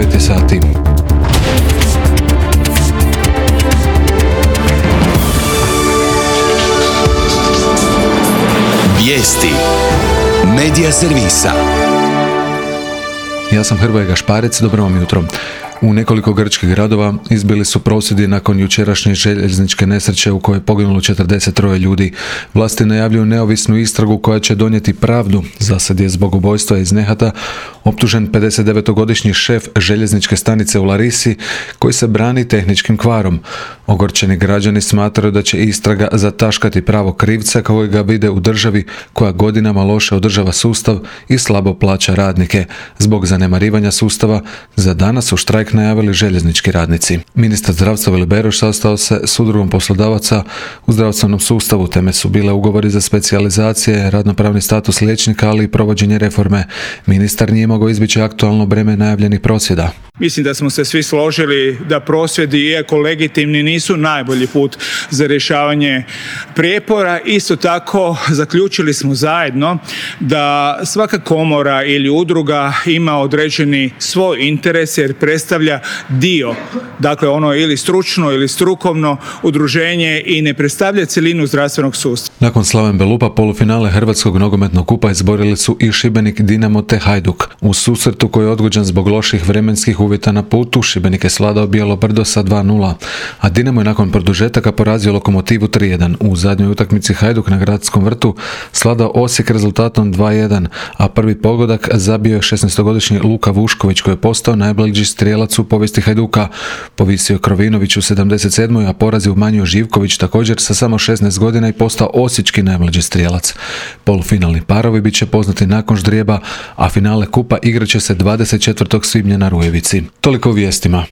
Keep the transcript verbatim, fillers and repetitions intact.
devet sati. Vijesti Medija servisa. Ja sam Hrvoje Gašparec, dobro vam jutro. U nekoliko grčkih gradova izbili su prosvjedi nakon jučerašnje željezničke nesreće u kojoj je poginulo četrdeset troje ljudi. Vlasti najavljuju neovisnu istragu koja će donijeti pravdu. Zasad je zbog ubojstva iz nehata optužen pedesetdevetogodišnji šef željezničke stanice u Larisi koji se brani tehničkim kvarom. Ogorčeni građani smatraju da će istraga zataškati pravo krivca koji ga vide u državi koja godinama loše održava sustav i slabo plaća radnike. Zbog zanemarivanja sustava za danas u štrajk najavili željeznički radnici. Ministar zdravstva Vili Beroš sastao se s udrugom poslodavaca u zdravstvenom sustavu. Teme su bile ugovori za specijalizacije, radnopravni status liječnika, ali i provođenje reforme. Ministar nije mogao izbjeći aktualno breme najavljenih prosvjeda. Mislim da smo se svi složili da prosvjedi, iako legitimni, nisu najbolji put za rješavanje prijepora. Isto tako zaključili smo zajedno da svaka komora ili udruga ima određeni svoj interes jer predstavlja dio, dakle ono ili stručno ili strukovno udruženje i ne predstavlja cjelinu zdravstvenog sustava. Nakon Slaven Belupa polufinale Hrvatskog nogometnog kupa izborili su i Šibenik, Dinamo te Hajduk. U susretu koji je odgođen zbog loših vremenskih uvjeta na putu, Šibenik je svladao Bijelo Brdo sa dva nula, a Dinamo je nakon produžetaka porazio Lokomotivu tri jedan. U zadnjoj utakmici Hajduk na Gradskom vrtu svladao Osijek rezultatom dva jedan, a prvi pogodak zabio je šesnaestogodišnji Luka Vušković koji je postao najbliži strijelac u povijesti Hajduka. Povisio Krovinović u sedamdeset sedmoj, a poraz je umanjio Živković također sa samo šesnaest godina i postao osječki najmlađi strijelac. Polufinalni parovi bit će poznati nakon ždrijeba, a finale kupa igrat će se dvadeset četvrtog svibnja na Rujevici. Toliko u vijestima.